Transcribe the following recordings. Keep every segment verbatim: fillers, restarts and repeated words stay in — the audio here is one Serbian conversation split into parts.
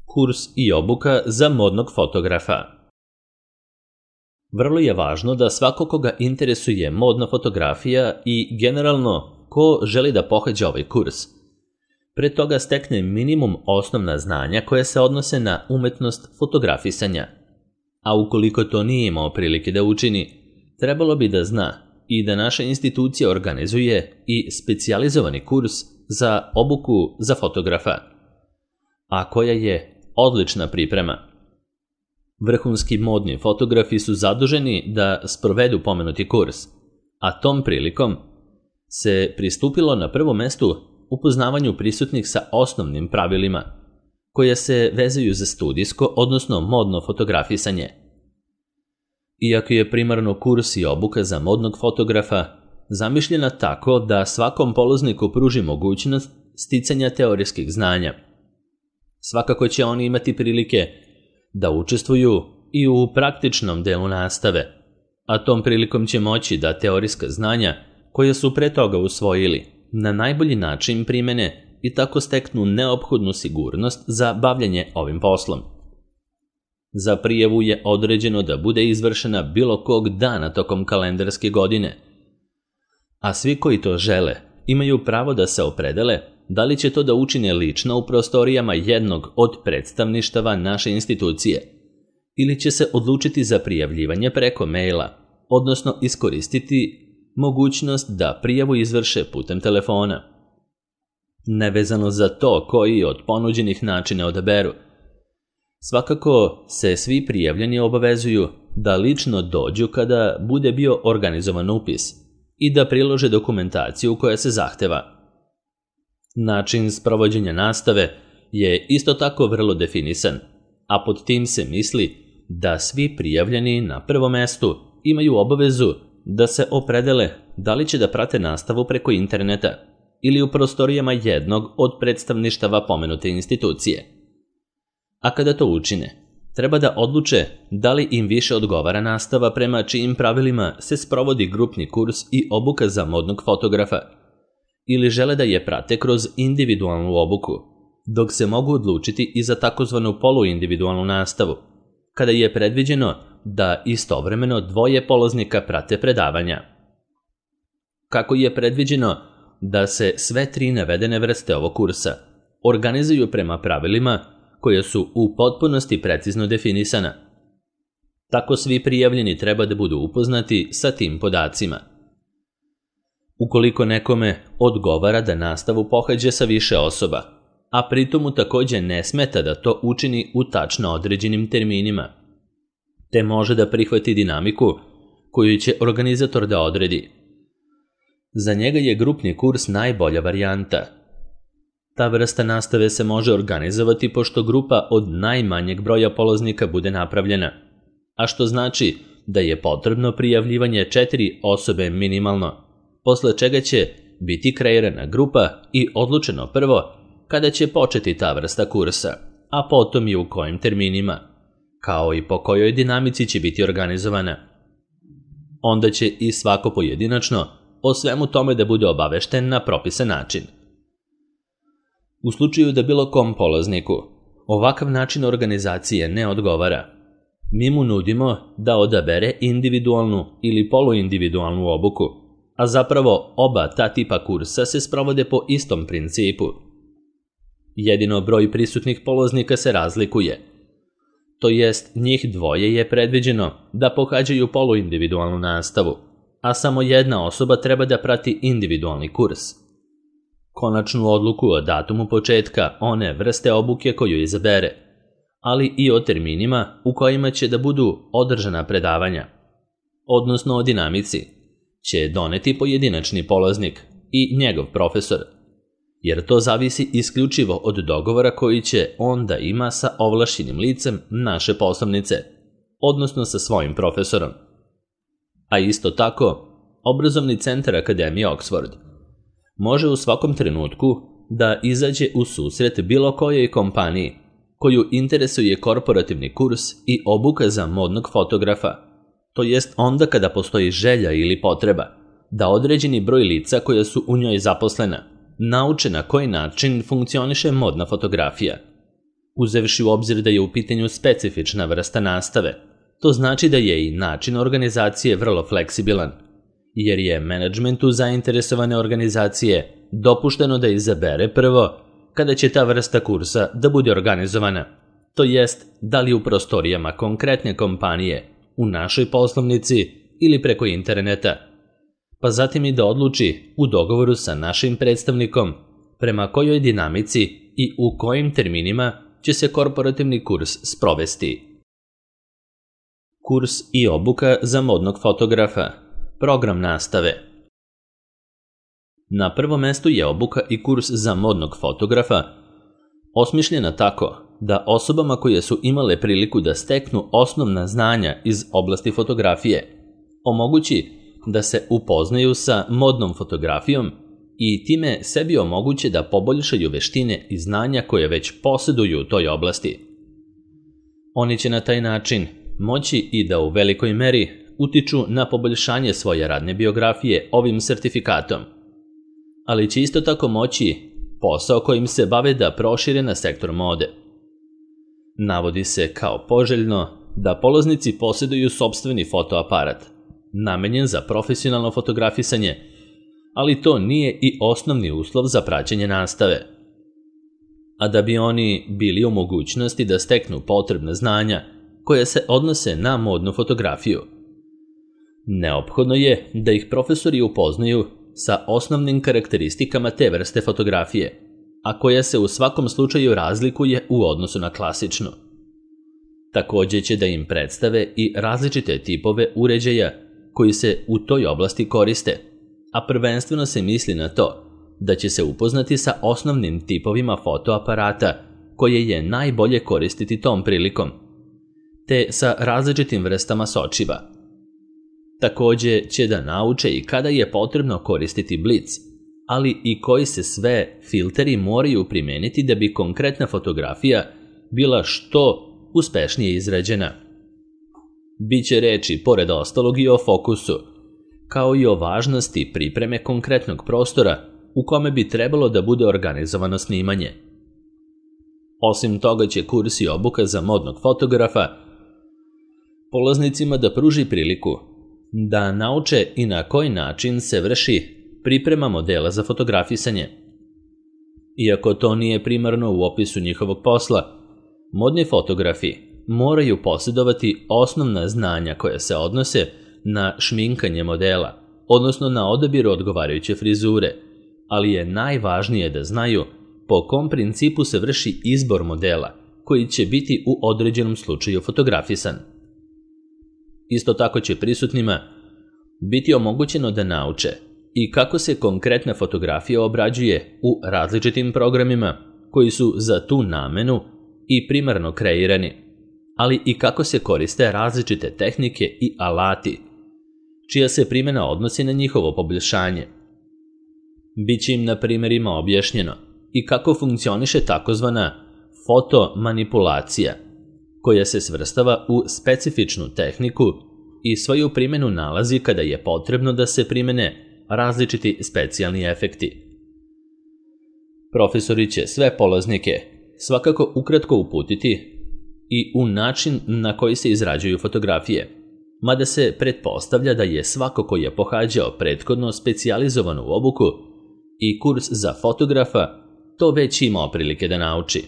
Kurs i obuka za modnog fotografa. Vrlo je važno da svako koga interesuje modna fotografija i generalno ko želi da pohađa ovaj kurs, pre toga stekne minimum osnovna znanja koje se odnose na umetnost fotografisanja. A ukoliko to nije imao prilike da učini, trebalo bi da zna i da naša institucija organizuje i specijalizovani kurs za obuku za fotografa, a koja je odlična priprema. Vrhunski modni fotografi su zaduženi da sprovedu pomenuti kurs, a tom prilikom se pristupilo na prvom mestu upoznavanju prisutnih sa osnovnim pravilima, koje se vezaju za studijsko, odnosno modno fotografisanje. Iako je primarno kurs i obuka za modnog fotografa zamišljena tako da svakom polazniku pruži mogućnost sticanja teorijskih znanja, svakako će oni imati prilike da učestvuju i u praktičnom delu nastave, a tom prilikom će moći da teorijska znanja koje su pre toga usvojili na najbolji način primene i tako steknu neophodnu sigurnost za bavljanje ovim poslom. Za prijavu je određeno da bude izvršena bilo kog dana tokom kalendarske godine, a svi koji to žele imaju pravo da se opredele da li će to da učine lično u prostorijama jednog od predstavništava naše institucije ili će se odlučiti za prijavljivanje preko maila, odnosno iskoristiti mogućnost da prijavu izvrše putem telefona. Nevezano za to koji od ponuđenih načina odaberu, svakako se svi prijavljeni obavezuju da lično dođu kada bude bio organizovan upis i da prilože dokumentaciju koja se zahteva. Način sprovođenja nastave je isto tako vrlo definisan, a pod tim se misli da svi prijavljeni na prvom mestu imaju obavezu da se opredele da li će da prate nastavu preko interneta ili u prostorijama jednog od predstavništava pomenute institucije. A kada to učine, treba da odluče da li im više odgovara nastava prema čijim pravilima se sprovodi grupni kurs i obuka za modnog fotografa, ili žele da je prate kroz individualnu obuku, dok se mogu odlučiti i za takozvanu poluindividualnu nastavu, kada je predviđeno da istovremeno dvoje polaznika prate predavanja. Kako je predviđeno da se sve tri navedene vrste ovog kursa organizuju prema pravilima koje su u potpunosti precizno definisana. Tako svi prijavljeni treba da budu upoznati sa tim podacima. Ukoliko nekome odgovara da nastavu pohađa sa više osoba, a pritom mu takođe ne smeta da to učini u tačno određenim terminima, te može da prihvati dinamiku koju će organizator da odredi. Za njega je grupni kurs najbolja varijanta. Ta vrsta nastave se može organizovati pošto grupa od najmanjeg broja polaznika bude napravljena, a što znači da je potrebno prijavljivanje četiri osobe minimalno, posle čega će biti kreirana grupa i odlučeno prvo kada će početi ta vrsta kursa, a potom i u kojim terminima, kao i po kojoj dinamici će biti organizovana. Onda će i svako pojedinačno o svemu tome da bude obavešten na propisan način. U slučaju da bilo kom polazniku ovakav način organizacije ne odgovara, mi mu nudimo da odabere individualnu ili poluindividualnu obuku, a zapravo oba ta tipa kursa se sprovode po istom principu. Jedino broj prisutnih polaznika se razlikuje, to jest njih dvoje je predviđeno da pohađaju poluindividualnu nastavu, a samo jedna osoba treba da prati individualni kurs. Konačnu odluku o datumu početka one vrste obuke koju izabere, ali i o terminima u kojima će da budu održana predavanja, odnosno o dinamici, će doneti pojedinačni polaznik i njegov profesor, jer to zavisi isključivo od dogovora koji će on da ima sa ovlašćenim licem naše poslovnice, odnosno sa svojim profesorom. A isto tako, obrazovni centar Akademije Oxford može u svakom trenutku da izađe u susret bilo kojoj kompaniji koju interesuje korporativni kurs i obuka za modnog fotografa, to jest onda kada postoji želja ili potreba da određeni broj lica koja su u njoj zaposlena nauče na koji način funkcioniše modna fotografija. uzevši u obzir da je u pitanju specifična vrsta nastave. To znači da je i način organizacije vrlo fleksibilan, jer je menadžmentu zainteresovane organizacije dopušteno da izabere prvo kada će ta vrsta kursa da bude organizovana, to jest da li u prostorijama konkretne kompanije, u našoj poslovnici ili preko interneta, pa zatim i da odluči u dogovoru sa našim predstavnikom prema kojoj dinamici i u kojim terminima će se korporativni kurs sprovesti. Kurs i obuka za modnog fotografa. Program nastave. Na prvom mestu je obuka i kurs za modnog fotografa, osmišljena tako da osobama koje su imale priliku da steknu osnovna znanja iz oblasti fotografije omogući da se upoznaju sa modnom fotografijom i time sebi omoguće da poboljšaju veštine i znanja koje već posjeduju u toj oblasti. Oni će na taj način moći i da u velikoj meri utiču na poboljšanje svoje radne biografije ovim sertifikatom, ali će isto tako moći posao kojim se bave da prošire na sektor mode. Navodi se kao poželjno da polaznici posjeduju sopstveni fotoaparat, namenjen za profesionalno fotografisanje, ali to nije i osnovni uslov za praćenje nastave. A da bi oni bili u mogućnosti da steknu potrebna znanja koje se odnose na modnu fotografiju, neophodno je da ih profesori upoznaju sa osnovnim karakteristikama te vrste fotografije, a koja se u svakom slučaju razlikuje u odnosu na klasičnu. Također će da im predstave i različite tipove uređaja koji se u toj oblasti koriste, a prvenstveno se misli na to da će se upoznati sa osnovnim tipovima fotoaparata koje je najbolje koristiti tom prilikom, te sa različitim vrstama sočiva. Također će da nauče i kada je potrebno koristiti blic, ali i koji se sve filteri moraju primijeniti da bi konkretna fotografija bila što uspešnije izrađena. Biće reči, pored ostalog, i o fokusu, kao i o važnosti pripreme konkretnog prostora u kome bi trebalo da bude organizovano snimanje. Osim toga će kurs i obuka za modnog fotografa polaznicima da pruži priliku da nauče i na koji način se vrši priprema modela za fotografisanje. Iako to nije primarno u opisu njihovog posla, modni fotografi moraju posjedovati osnovna znanja koja se odnose na šminkanje modela, odnosno na odabir odgovarajuće frizure, ali je najvažnije da znaju po kom principu se vrši izbor modela koji će biti u određenom slučaju fotografisan. Isto tako će prisutnima biti omogućeno da nauče i kako se konkretna fotografija obrađuje u različitim programima koji su za tu namenu i primarno kreirani, ali i kako se koriste različite tehnike i alati, čija se primjena odnosi na njihovo poboljšanje. Biće im na primjerima objašnjeno i kako funkcioniše takozvana fotomanipulacija, koja se svrstava u specifičnu tehniku i svoju primjenu nalazi kada je potrebno da se primjene različiti specijalni efekti. Profesori će sve polaznike svakako ukratko uputiti i u način na koji se izrađuju fotografije, mada se pretpostavlja da je svako ko je pohađao prethodno specijalizovanu obuku i kurs za fotografa to već imao prilike da nauči.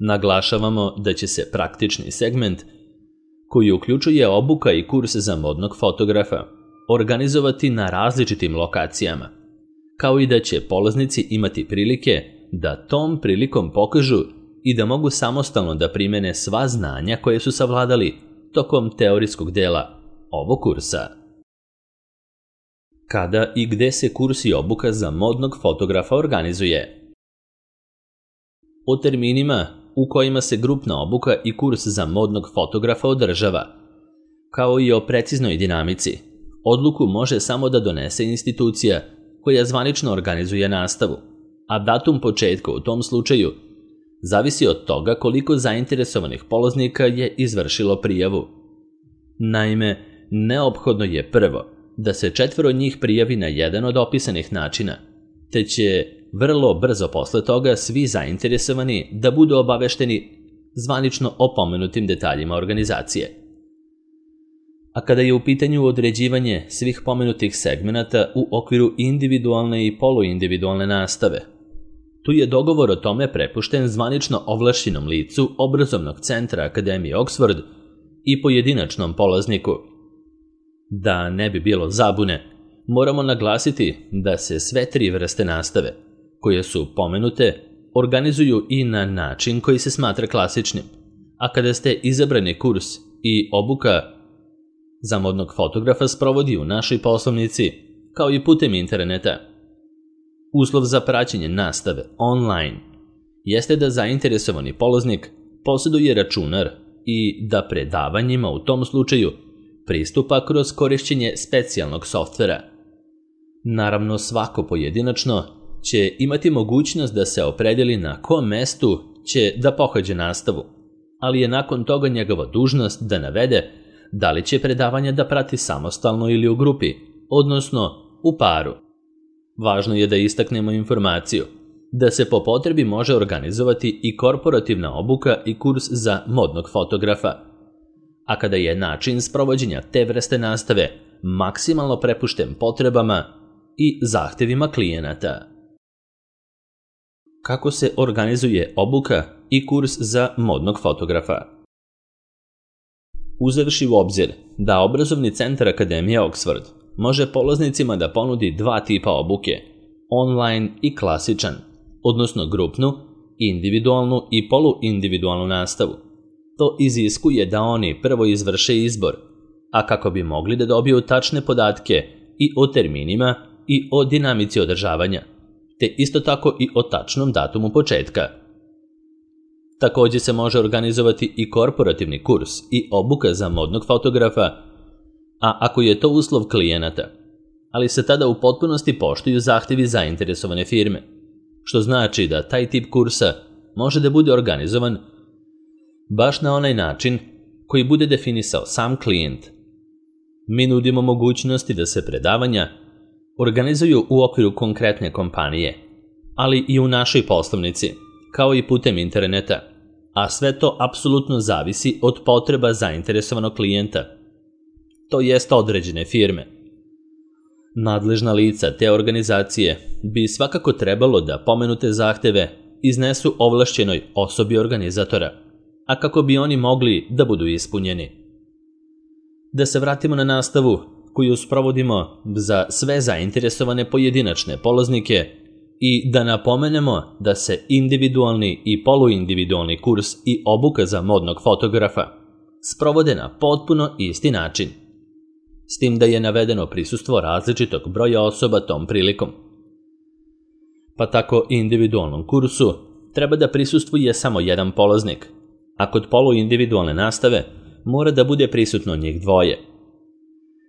Naglašavamo da će se praktični segment, koji uključuje obuka i kurs za modnog fotografa, organizovati na različitim lokacijama, kao i da će polaznici imati prilike da tom prilikom pokažu i da mogu samostalno da primene sva znanja koje su savladali tokom teorijskog dela ovog kursa. Kada i gde se kurs i obuka za modnog fotografa organizuje? O terminima u kojima se grupna obuka i kurs za modnog fotografa održava, kao i o preciznoj dinamici, odluku može samo da donese institucija koja zvanično organizuje nastavu, a datum početka u tom slučaju zavisi od toga koliko zainteresovanih polaznika je izvršilo prijavu. Naime, neophodno je prvo da se četvoro njih prijavi na jedan od opisanih načina, te će vrlo brzo posle toga svi zainteresovani da budu obavešteni zvanično o pomenutim detaljima organizacije. A kada je u pitanju određivanje svih pomenutih segmenata u okviru individualne i poluindividualne nastave, tu je dogovor o tome prepušten zvanično ovlašćenom licu obrazovnog centra Akademije Oxford i pojedinačnom polazniku. Da ne bi bilo zabune, moramo naglasiti da se sve tri vrste nastave, koje su pomenute, organizuju i na način koji se smatra klasičnim, a kada ste izabrani kurs i obuka za modnog fotografa sprovodi u našoj poslovnici, kao i putem interneta. Uslov za praćenje nastave online jeste da zainteresovani polaznik posjeduje računar i da predavanjima u tom slučaju pristupa kroz korišćenje specijalnog softvera. Naravno, svako pojedinačno će imati mogućnost da se opredeli na kom mestu će da pohađa nastavu, ali je nakon toga njegova dužnost da navede da li će predavanja da prati samostalno ili u grupi, odnosno u paru. Važno je da istaknemo informaciju da se po potrebi može organizovati i korporativna obuka i kurs za modnog fotografa, a kada je način sprovođenja te vrste nastave maksimalno prepušten potrebama i zahtevima klijenata. Kako se organizuje obuka i kurs za modnog fotografa? Uzevši u obzir da obrazovni centar Akademije Oxford može polaznicima da ponudi dva tipa obuke, online i klasičan, odnosno grupnu, individualnu i poluindividualnu nastavu. To iziskuje da oni prvo izvrše izbor, a kako bi mogli da dobiju tačne podatke i o terminima i o dinamici održavanja, te isto tako i o tačnom datumu početka. Također se može organizovati i korporativni kurs i obuka za modnog fotografa, a ako je to uslov klijenata, ali se tada u potpunosti poštuju zahtevi zainteresovane firme, što znači da taj tip kursa može da bude organizovan baš na onaj način koji bude definisao sam klijent. Mi nudimo mogućnosti da se predavanja organizuju u okviru konkretne kompanije, ali i u našoj poslovnici, kao i putem interneta, a sve to apsolutno zavisi od potreba zainteresovanog klijenta, to jest određene firme. Nadležna lica te organizacije bi svakako trebalo da pomenute zahteve iznesu ovlašćenoj osobi organizatora, a kako bi oni mogli da budu ispunjeni. Da se vratimo na nastavu koju sprovodimo za sve zainteresovane pojedinačne polaznike i da napomenemo da se individualni i poluindividualni kurs i obuka za modnog fotografa sprovode na potpuno isti način, s tim da je navedeno prisustvo različitog broja osoba tom prilikom. Pa tako individualnom kursu treba da prisustvuje samo jedan polaznik, a kod poluindividualne nastave mora da bude prisutno njih dvoje.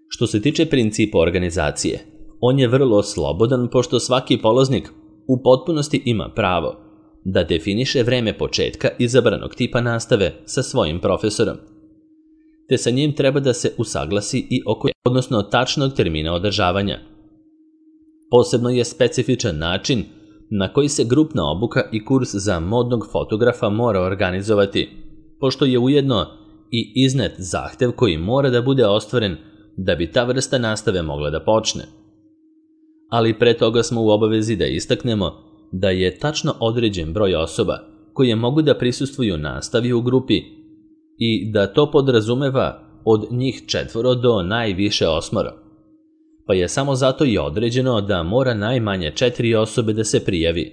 Što se tiče principa organizacije, on je vrlo slobodan pošto svaki polaznik u potpunosti ima pravo da definiše vreme početka izabranog tipa nastave sa svojim profesorom, te sa njim treba da se usaglasi i oko, odnosno tačnog termina održavanja. Posebno je specifičan način na koji se grupna obuka i kurs za modnog fotografa mora organizovati, pošto je ujedno i iznet zahtev koji mora da bude ostvaren da bi ta vrsta nastave mogla da počne. Ali pre toga smo u obavezi da istaknemo da je tačno određen broj osoba koje mogu da prisustvuju nastavi u grupi i da to podrazumeva od njih četvoro do najviše osmoro. Pa je samo zato i određeno da mora najmanje četiri osobe da se prijavi,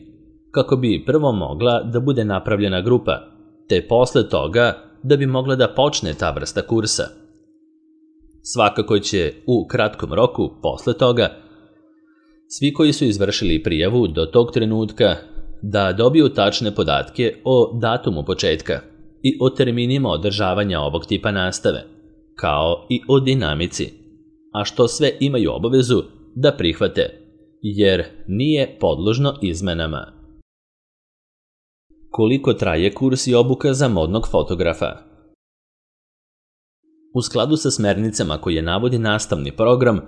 kako bi prvo mogla da bude napravljena grupa, te posle toga da bi mogla da počne ta vrsta kursa. Svakako će u kratkom roku posle toga svi koji su izvršili prijavu do tog trenutka da dobiju tačne podatke o datumu početka i o terminima održavanja ovog tipa nastave, kao i o dinamici, a što sve imaju obavezu da prihvate, jer nije podložno izmenama. Koliko traje kurs i obuka za modnog fotografa? U skladu sa smernicama koje navodi nastavni program,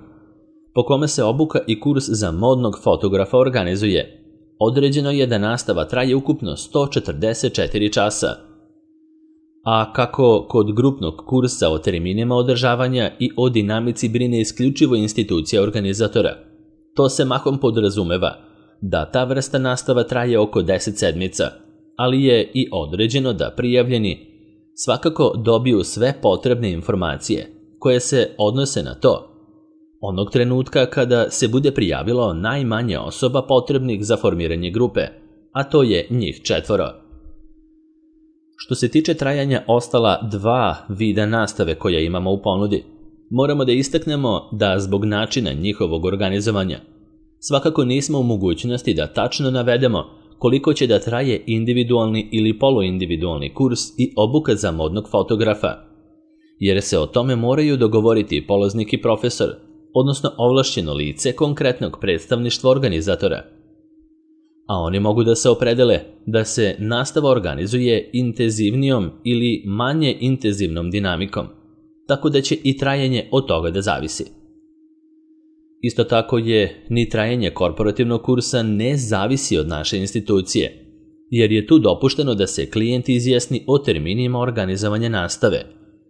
po kome se obuka i kurs za modnog fotografa organizuje, određeno je da nastava traje ukupno sto četrdeset četiri časa. A kako kod grupnog kursa o terminima održavanja i o dinamici brine isključivo institucija organizatora, to se mahom podrazumeva da ta vrsta nastava traje oko deset sedmica, ali je i određeno da prijavljeni svakako dobiju sve potrebne informacije koje se odnose na to onog trenutka kada se bude prijavilo najmanje osoba potrebnih za formiranje grupe, a to je njih četvoro. Što se tiče trajanja ostala dva vida nastave koja imamo u ponudi, moramo da istaknemo da zbog načina njihovog organizovanja svakako nismo u mogućnosti da tačno navedemo koliko će da traje individualni ili poluindividualni kurs i obuka za modnog fotografa, jer se o tome moraju dogovoriti polaznik i profesor, odnosno ovlašćeno lice konkretnog predstavništva organizatora. A oni mogu da se opredele da se nastava organizuje intenzivnijom ili manje intenzivnom dinamikom, tako da će i trajanje od toga da zavisi. Isto tako je ni trajanje korporativnog kursa ne zavisi od naše institucije, jer je tu dopušteno da se klijent izjasni o terminima organizovanja nastave,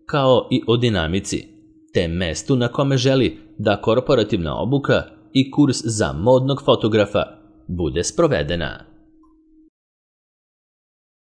kao i o dinamici, te mestu na kome želi da korporativna obuka i kurs za modnog fotografa bude sprovedena.